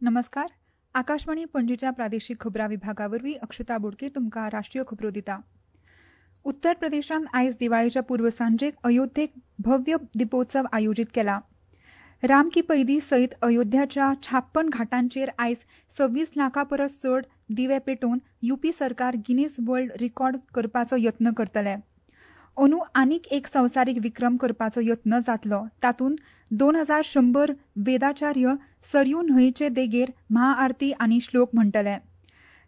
नमस्कार, आकाशवाणी पणजीच्या प्रादेशीक खबरां विभागा वरवीं अक्षता बोडके तुमकां राष्ट्रीय खबरो दिता. उत्तर प्रदेशांत आयज दिवाळेच्या पूर्वसांजेक अयोध्येक भव्य दिपोत्सव आयोजीत केला. राम की पैदी सयत अयोध्याच्या 56 घाटांचेर आयज 26 लाखां परस चड दिवे पेटोवन युपी सरकार गिनीज वर्ल्ड रिकॉर्ड करपाचो यत्न करतले. अंदू आनीक एक संवसारीक विक्रम करपाचो यत्न जातलो. तातूंत 2100 वेदाचार्य सरयू न्हंयचे देगेर महाआरती आनी श्लोक म्हणटले.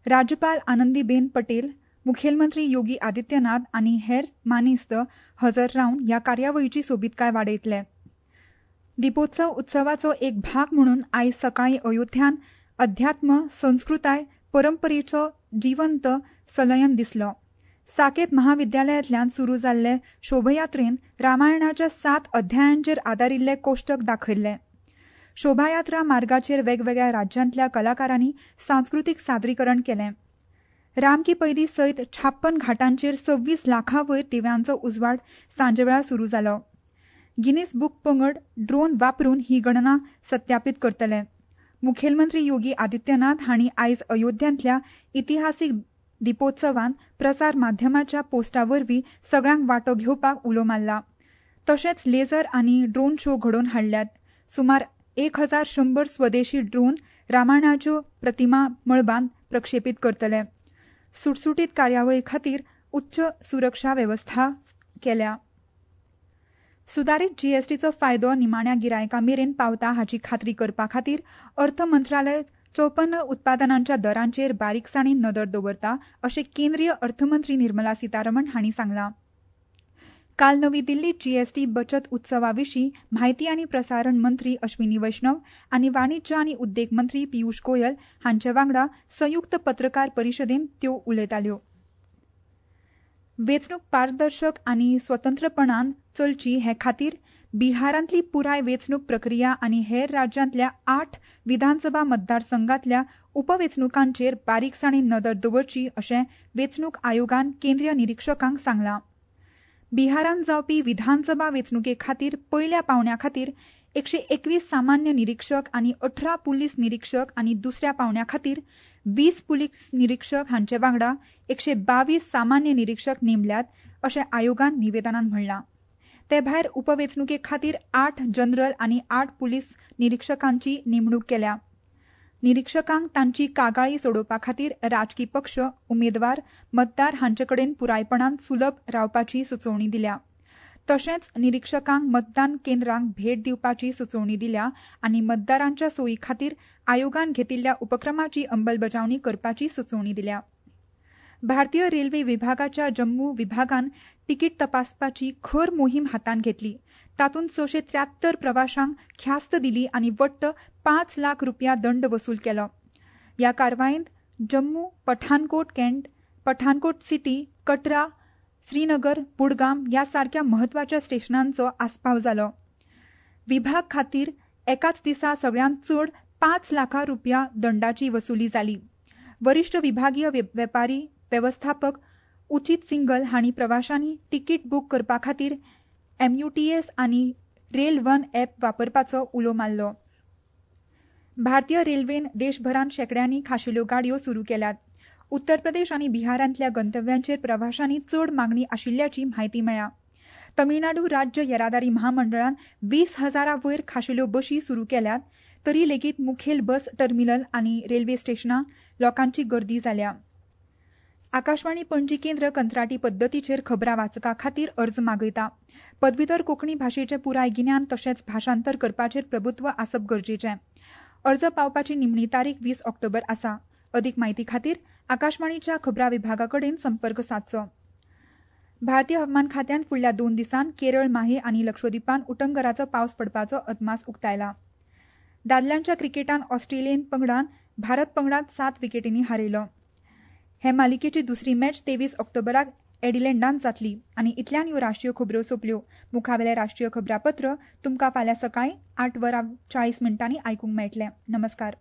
राज्यपाल आनंदीबेन पटेल, मुखेलमंत्री योगी आदित्यनाथ आनी हेर मानेस्त हजर रावन ह्या कार्यावळीची सोबीतकाय वाडयतले. दिपोत्सव उत्सवाचो एक भाग म्हणून आयज सकाळीं अयोध्यान अध्यात्म, संस्कृताय, परंपरेचो जिवंत सलयन दिसलो. साकेत महाविद्यालयांतल्यान सुरू जाल्ले शोभयात्रेन रामायणाच्या 7 अध्यायांचेर आदारिल्ले कोश्टक दाखयल्ले. शोभायात्रा मार्गाचेर वेगवेगळ्या राज्यांतल्या कलाकारांनी सांस्कृतीक सादरीकरण केलें. राम की पैदी सयत 56 घाटांचेर 26 लाखां वयर दिव्यांचो उजवाड सांजेवेळार सुरू जालो. गिनीज बुक पंगड ड्रोन वापरून ही गणना सत्यापीत करतले. मुखेलमंत्री योगी आदित्यनाथ हांणी आयज अयोध्यांतल्या इतिहासीक दिपोत्सवान प्रसार माध्यमाच्या पोस्टा वरवीं सगळ्यांक वांटो घेवपाक उलो मारला. तशेंच लेझर आनी ड्रोन शो घडोवन हाडल्यात. सुमार 1100 स्वदेशी ड्रोन रामायणाच्यो प्रतिमा मळबांत प्रक्षेपीत करतले. सुटसुटीत कार्यावळी खातीर उच्च सुरक्षा वेवस्था केल्या. सुदारीत जीएसटीचो फायदो निमाण्या गिरायकां मेरेन पावता हाची खात्री करपा खातीर अर्थ मंत्रालय 54 उत्पादनांच्या दरांचेर बारीकसाणीन नदर दवरता अशें केंद्रीय अर्थमंत्री निर्मला सीतारमण हांणी सांगलां. काल नवी दिल्लीत जीएसटी बचत उत्सवा विशीं म्हायती आनी प्रसारण मंत्री अश्विनी वैष्णव आनी वाणिज्य आनी उद्देग मंत्री पियूष गोयल हांचे वांगडा संयुक्त पत्रकार परिशदेंत त्यो उलयताल्यो. वेंचणूक पारदर्शक आनी स्वतंत्रपणान चलची हे खातीर बिहारांतली पुराय वेंचणूक प्रक्रिया आनी हेर राज्यांतल्या 8 विधानसभा मतदारसंघातल्या उपवेंचणुकांचेर बारीकसाणीन नदर दवरची अशें वेंचणूक आयोगान केंद्रीय निरिक्षकांक सांगलां. बिहारांत जावपी विधानसभा वेंचणुके खातीर पयल्या पावंड्या खातीर 121 सामान्य निरिक्षक आनी 18 पुलीस निरिक्षक आनी दुसऱ्या पावंड्या खातीर 20 पुलीस निरिक्षक हांचे वांगडा 122 सामान्य निरिक्षक नेमल्यात अशें आयोगान निवेदनान म्हणलां. ते भायर उपवेंचणुके खातीर 8 जनरल आनी 8 पुलीस निरिक्षकांची नेमणूक केल्या. निरिक्षकांक तांची कागाळी सोडोवपा खातीर राजकी पक्ष, उमेदवार, मतदार हांचे कडेन पुरायपणान सुलभ रावपाची सुचोवणी दिल्या. तशेंच निरिक्षकांक मतदान केंद्रांक भेट दिवपाची सुचोवणी दिल्या आनी मतदारांच्या सोयी खातीर आयोगान घेतिल्ल्या उपक्रमाची अंमलबजावणी करपाची सुचोवणी दिल्या. भारतीय रेल्वे विभागाच्या जम्मू विभागान तिकीट तपासपाची खर मोहीम हातांत घेतली. तातूंत 673 प्रवाशांक ख्यास्त दिली आनी वट्ट 5 लाख रुपया दंड वसूल केलो. ह्या कारवायेंत जम्मू, पठाणकोट कॅन्ट, पठाणकोट सिटी, कटरा, श्रीनगर, बुडगाम ह्या सारक्या म्हत्वाच्या स्टेशनांचो आस्पाव जालो. विभाग खातीर एकाच दिसा सगळ्यांत चड 5 लाखां रुपया दंडाची वसुली जाली. वरिश्ठ विभागीय वेपारी वेवस्थापक उचित सिंगल हांणी प्रवाशांनी तिकीट बूक करपा खातीर एमयूटीएस आनी रेल वन ॲप वापरपाचो उलो मारलो. भारतीय रेल्वेन देशभरांत शेंकड्यांनी खाशेल्यो गाडयो सुरू केल्यात. उत्तर प्रदेश आनी बिहारांतल्या गंतव्यांचेर प्रवाशांनी चड मागणी आशिल्ल्याची म्हायती मेळ्ळ्या. तमिळनाडू राज्य येरादारी म्हामंडळान 20,000 वयर खाशेल्यो बशी सुरू केल्यात. तरी लेगीत मुखेल बस टर्मिनल आनी रेल्वे स्टेशनां लोकांची गर्दी जाल्या. आकाशवाणी पणजी केंद्र कंत्राटी पद्दतीचेर खबरां वाचका खातीर अर्ज मागयता. पदवीधर कोंकणी भाशेचें पुराय गिन्यान तशेंच भाशांतर करपाचेर प्रभुत्व आसप गरजेचें. अर्ज पावपाची निमणी तारीख 20 ऑक्टोबर आसा. अदीक म्हायती खातीर आकाशवाणीच्या खबरां विभागा कडेन संपर्क सादचो. भारतीय हवामान खात्यान फुडल्या 2 दिसांत केरळ, माहे आनी लक्षद्वीपान उटंगराचो पावस पडपाचो अदमास उक्तायला. दादल्यांच्या क्रिकेटान ऑस्ट्रेलियन पंगडान भारत पंगडाक 7 विकेटींनी हारयलो. हे मालिकेची दुसरी मॅच 23 ऑक्टोबराक एडिलेंडान जातली. आनी इतल्यान ह्यो राष्ट्रीय खबरो सोंपल्यो. मुखावेलें राष्ट्रीय खबरापत्र तुमकां फाल्यां सकाळीं 8:40 आयकूंक मेळटलें. नमस्कार.